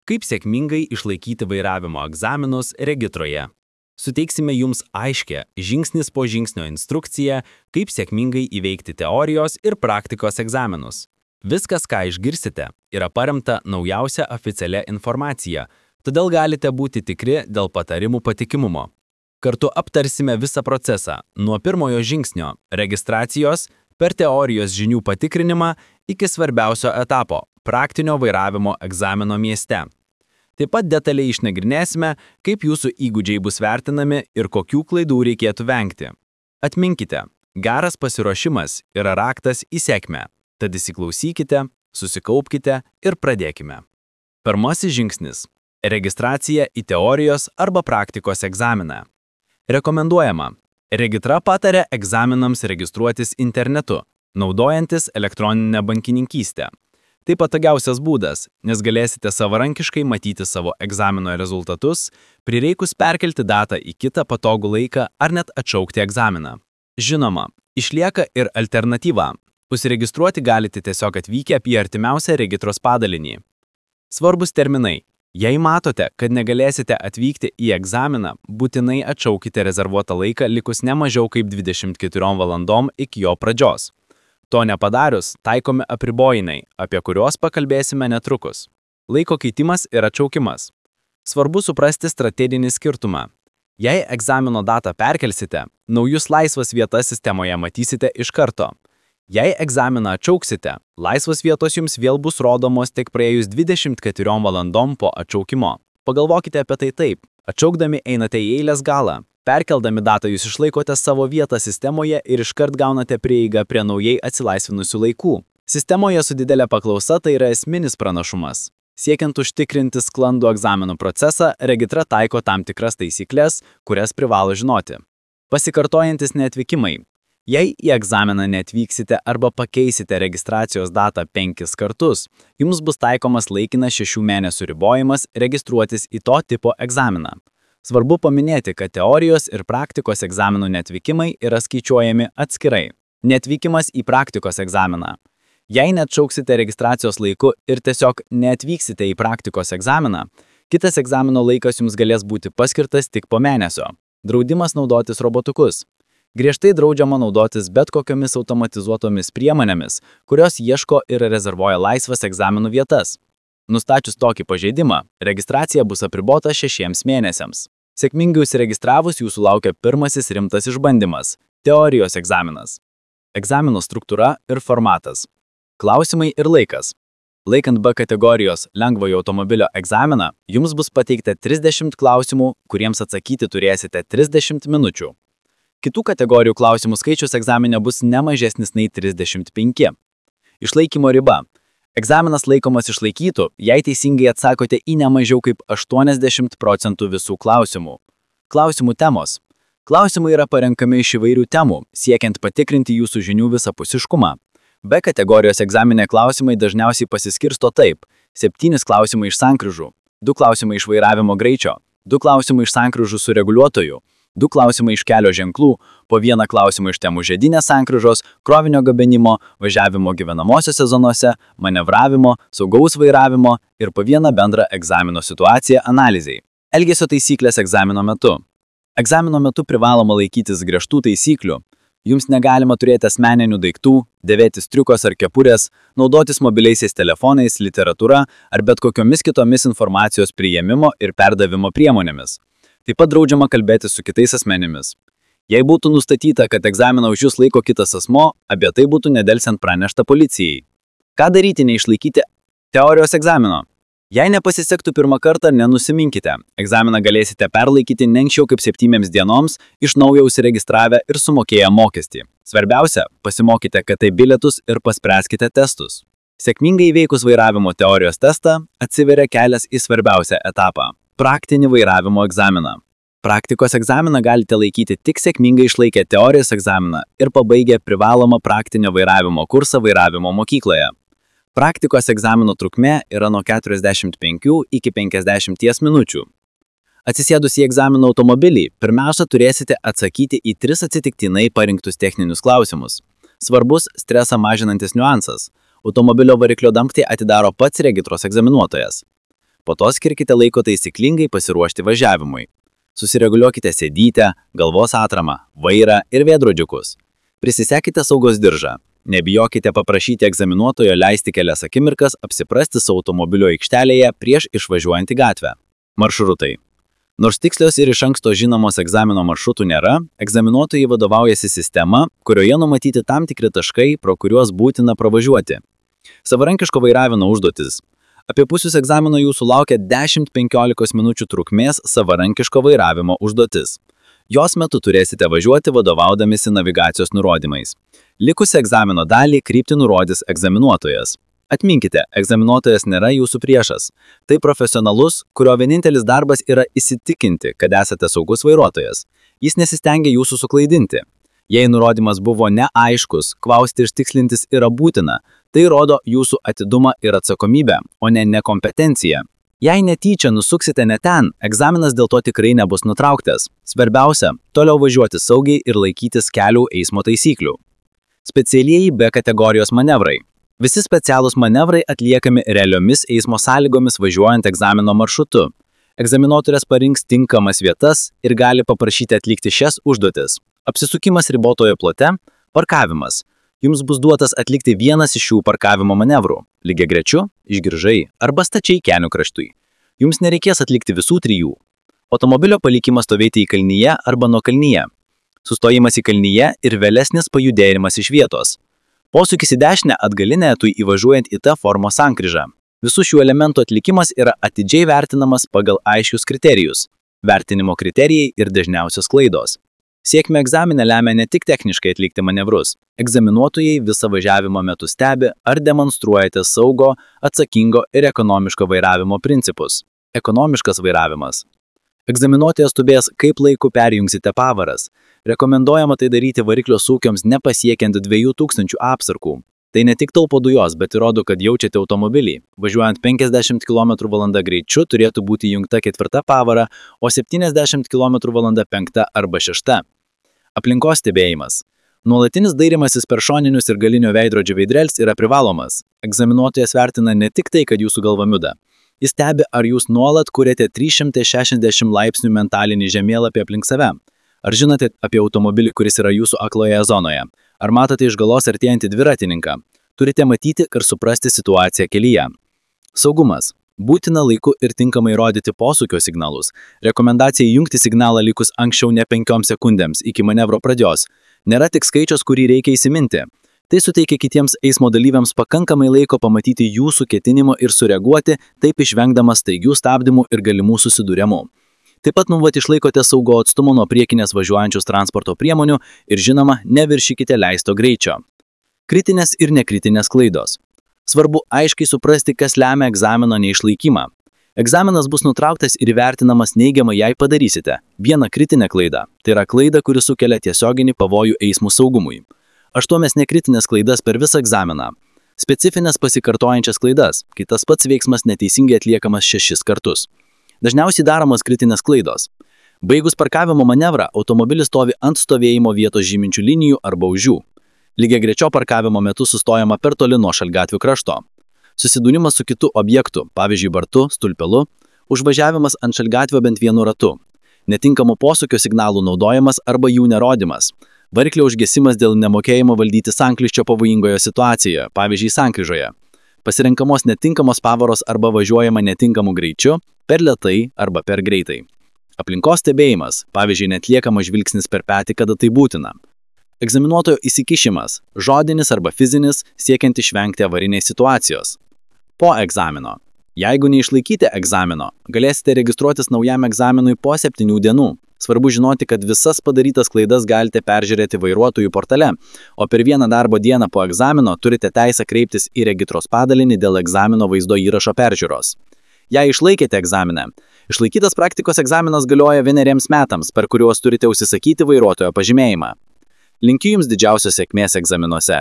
Kaip sėkmingai išlaikyti vairavimo egzaminus regitroje? Suteiksime jums aiškę žingsnis po žingsnio instrukciją, kaip sėkmingai įveikti teorijos ir praktikos egzaminus. Viskas, ką išgirsite, yra paremta naujausia oficialia informacija, todėl galite būti tikri dėl patarimų patikimumo. Kartu aptarsime visą procesą, nuo pirmojo žingsnio – registracijos, per teorijos žinių patikrinimą iki svarbiausio etapo – praktinio vairavimo egzamino mieste. Taip pat detaliai išnagrinėsime, kaip jūsų įgūdžiai bus vertinami ir kokių klaidų reikėtų vengti. Atminkite, geras pasiruošimas yra raktas į sėkmę, tad įsiklausykite, susikaupkite ir pradėkime. Pirmasis žingsnis – registracija į teorijos arba praktikos egzaminą. Rekomenduojama. Regitra pataria egzaminams registruotis internetu, naudojantis elektroninę bankininkystę. Tai patogiausias būdas, nes galėsite savarankiškai matyti savo egzamino rezultatus, prireikus perkelti datą į kitą patogų laiką ar net atšaukti egzaminą. Žinoma, išlieka ir alternatyva. Užsiregistruoti galite tiesiog atvykę į artimiausią regitros padalinį. Svarbus terminai. Jei matote, kad negalėsite atvykti į egzaminą, būtinai atšaukite rezervuotą laiką likus ne mažiau kaip 24 valandom iki jo pradžios. To nepadarius, taikomi apribojimai, apie kuriuos pakalbėsime netrukus. Laiko keitimas ir atšaukimas. Svarbu suprasti strateginį skirtumą. Jei egzamino datą perkelsite, naujus laisvas vietas sistemoje matysite iš karto. Jei egzaminą atšauksite, laisvos vietos jums vėl bus rodomos tik praėjus 24 valandom po atšaukimo. Pagalvokite apie tai taip. Atšaukdami einate į eilės galą. Perkeldami datą jūs išlaikote savo vietą sistemoje ir iškart gaunate prieigą prie naujai atsilaisvinusių laikų. Sistemoje su didelė paklausa tai yra esminis pranašumas. Siekiant užtikrinti sklandų egzaminų procesą, regitra taiko tam tikras taisyklės, kurias privalo žinoti. Pasikartojantis neatvykimai. Jei į egzaminą neatvyksite arba pakeisite registracijos datą 5 kartus, jums bus taikomas laikinas 6 mėnesių ribojimas registruotis į to tipo egzaminą. Svarbu paminėti, kad teorijos ir praktikos egzaminų neatvykimai yra skaičiuojami atskirai. Neatvykimas į praktikos egzaminą. Jei neatšauksite registracijos laiku ir tiesiog neatvyksite į praktikos egzaminą, kitas egzamino laikas jums galės būti paskirtas tik po mėnesio. Draudimas naudotis robotukus. Griežtai draudžiama naudotis bet kokiomis automatizuotomis priemonėmis, kurios ieško ir rezervuoja laisvas egzaminų vietas. Nustačius tokį pažeidimą, registracija bus apribota 6 mėnesiams. Sėkmingai užsiregistravus jūsų laukia pirmasis rimtas išbandymas – teorijos egzaminas. Egzamino struktūra ir formatas. Klausimai ir laikas. Laikant B kategorijos lengvojo automobilio egzaminą, jums bus pateikta 30 klausimų, kuriems atsakyti turėsite 30 minučių. Kitų kategorijų klausimų skaičius egzamine bus ne mažesnis nei 35. Išlaikymo riba. Egzaminas laikomas išlaikytų, jei teisingai atsakote į ne mažiau kaip 80% visų klausimų. Klausimų temos. Klausimai yra parenkami iš įvairių temų, siekiant patikrinti jūsų žinių visapusiškumą. B kategorijos egzaminė klausimai dažniausiai pasiskirsto taip: 7 klausimai iš sankryžų, 2 klausimai iš vairavimo greičio, 2 klausimai iš sankryžų su reguliuotoju, 2 klausimai iš kelio ženklų, po 1 klausimą iš temų žiedinės sankryžos, krovinio gabenimo, važiavimo gyvenamosiose zonose, manevravimo, saugaus vairavimo ir po 1 bendrą egzamino situaciją analizei. Elgesio taisyklės egzamino metu. Egzamino metu privaloma laikytis griežtų taisyklių. Jums negalima turėti asmeninių daiktų, dėvėti striukos ar kepurės, naudotis mobiliaisiais telefonais, literatūra ar bet kokiomis kitomis informacijos priėmimo ir perdavimo priemonėmis. Taip pat draudžiama kalbėti su kitais asmenimis. Jei būtų nustatyta, kad egzaminą už jūs laiko kitas asmo, apie tai būtų nedelsiant pranešta policijai. Ką daryti neišlaikyti teorijos egzamino? Jei nepasisektų pirmą kartą, nenusiminkite. Egzaminą galėsite perlaikyti ne anksčiau kaip 7 dienoms, iš naujo užsiregistravę ir sumokėję mokestį. Svarbiausia, pasimokite KT bilietus ir paspręskite testus. Sėkmingai įveikus vairavimo teorijos testą, atsiveria kelias į svarbiausią etapą – praktinį vairavimo egzaminą. Praktikos egzaminą galite laikyti tik sėkmingai išlaikę teorijos egzaminą ir pabaigę privalomą praktinio vairavimo kursą vairavimo mokykloje. Praktikos egzamino trukmė yra nuo 45 iki 50 minučių. Atsisėdus į egzamino automobilį, pirmiausia turėsite atsakyti į 3 atsitiktinai parinktus techninius klausimus. Svarbus stresą mažinantis niuansas. Automobilio variklio dangtį atidaro pats regitros egzaminuotojas. Po to skirkite laiko taisyklingai pasiruošti važiavimui. Susireguliuokite sėdytę, galvos atramą, vairą ir veidrodžiukus. Prisisekite saugos diržą. Nebijokite paprašyti egzaminuotojo leisti kelias akimirkas apsiprasti su automobilio aikštelėje prieš išvažiuojant į gatvę. Maršrutai. Nors tikslios ir iš anksto žinomos egzamino maršrutų nėra, egzaminuotojai vadovaujasi sistema, kurioje numatyti tam tikri taškai, pro kuriuos būtina pravažiuoti. Savarankiško vairavimo užduotis. Apie pusės egzamino jūsų laukia 10-15 minučių trukmės savarankiško vairavimo užduotis. Jos metu turėsite važiuoti vadovaudamisi navigacijos nurodymais. Likusią egzamino dalį kryptį nurodys egzaminuotojas. Atminkite, egzaminuotojas nėra jūsų priešas. Tai profesionalus, kurio vienintelis darbas yra įsitikinti, kad esate saugus vairuotojas. Jis nesistengia jūsų suklaidinti. Jei nurodymas buvo neaiškus, klausti ir tikslintis yra būtina. Tai rodo jūsų atidumą ir atsakomybę, o ne nekompetenciją. Jei netyčia nusuksite ne ten, egzaminas dėl to tikrai nebus nutrauktas. Svarbiausia, toliau važiuoti saugiai ir laikytis kelių eismo taisyklių. Specialieji B kategorijos manevrai. Visi specialūs manevrai atliekami realiomis eismo sąlygomis važiuojant egzamino maršrutu. Egzaminuotojas parinks tinkamas vietas ir gali paprašyti atlikti šias užduotis. Apsisukimas ribotoje plote, parkavimas. Jums bus duotas atlikti vienas iš šių parkavimo manevrų – lygiagrečiu, išgiržai arba stačiai kelių kraštui. Jums nereikės atlikti visų trijų. Automobilio palikimas stovėti į kalnyje arba nuo kalnyje. Sustojimas į kalnyje ir vėlesnis pajudėjimas iš vietos. Posūkis į dešinę atgalinę etui įvažiuojant į T formos sankryžą. Visų šių elementų atlikimas yra atidžiai vertinamas pagal aiškius kriterijus. Vertinimo kriterijai ir dažniausios klaidos. Sėkmę egzamine lemia ne tik techniškai atlikti manevrus. Egzaminuotojai visą važiavimo metu stebi, ar demonstruojate saugo, atsakingo ir ekonomiško vairavimo principus. Ekonomiškas vairavimas. Egzaminuotojas stebės, kaip laiku perjungsite pavaras. Rekomenduojama tai daryti variklio sūkiams nepasiekiant 2000 apsarkų. Tai ne tik taupo dujos, bet ir rodo, kad jaučiate automobilį. Važiuojant 50 km/h greičiu turėtų būti įjungta 4 pavara, o 70 km/h 5 arba 6. Aplinkos stebėjimas. Nuolatinis dairimasis per šoninius ir galinio veidrodžio veidrėlis yra privalomas. Egzaminuotojas vertina ne tik tai, kad jūsų galva juda. Jis stebi, ar jūs nuolat kuriate 360 laipsnių mentalinį žemėlapį aplink save. Ar žinote apie automobilį, kuris yra jūsų akloje zonoje? Ar matote iš galos artėjantį dviratininką? Turite matyti ir suprasti situaciją kelyje. Saugumas. Būtina laiku ir tinkamai rodyti posūkio signalus. Rekomendacija įjungti signalą likus anksčiau ne 5 sekundėms iki manevro pradžios. Nėra tik skaičius, kurį reikia įsiminti. Tai suteikia kitiems eismo dalyviams pakankamai laiko pamatyti jūsų ketinimo ir sureaguoti, taip išvengdamas staigių stabdymų ir galimų susidūrimų. Taip pat nuolat išlaikote saugo atstumo nuo priekinės važiuojančius transporto priemonių ir žinoma, neviršykite leisto greičio. Kritinės ir nekritinės klaidos. Svarbu aiškiai suprasti, kas lemia egzamino neišlaikymą. Egzaminas bus nutrauktas ir įvertinamas neigiamai, jei padarysite vieną kritinę klaidą. Tai yra klaida, kuri sukelia tiesioginį pavojų eismo saugumui. 8 nekritinės klaidas per visą egzaminą. Specifinės pasikartojančias klaidas, kai tas pats veiksmas neteisingai atliekamas 6 kartus. Dažniausiai daromos kritinės klaidos. Baigus parkavimo manevrą, automobilis stovi ant stovėjimo vietos žyminčių linijų arba už jų. Lygiagrečio parkavimo metu sustojama per toli nuo šaligatvių krašto. Susidūrimas su kitu objektu, pavyzdžiui bartu, stulpelu, užvažiavimas ant šaligatvio bent vienu ratu. Netinkamo posūkio signalų naudojimas arba jų nerodimas. Variklio užgesimas dėl nemokėjimo valdyti sankryžą pavojingoje situacijoje, pavyzdžiui sankryžoje. Pasirenkamos netinkamos pavaros arba važiuojama netinkamu greičiu, per lėtai arba per greitai. Aplinkos stebėjimas, pavyzdžiui, netliekamas žvilgsnis per petį, kada tai būtina. Egzaminuotojo įsikišimas, žodinis arba fizinis, siekiant išvengti avarinės situacijos. Po egzamino. Jeigu neišlaikyti egzamino, galėsite registruotis naujam egzaminui po 7 dienų. Svarbu žinoti, kad visas padarytas klaidas galite peržiūrėti vairuotojų portale, o per vieną darbo dieną po egzamino turite teisę kreiptis į regitros padalinį dėl egzamino vaizdo įrašo peržiūros. Jei išlaikėte egzaminą, išlaikytas praktikos egzaminas galioja 1 metams, per kuriuos turite užsisakyti vairuotojo pažymėjimą. Linkiu Jums didžiausios sėkmės egzaminuose.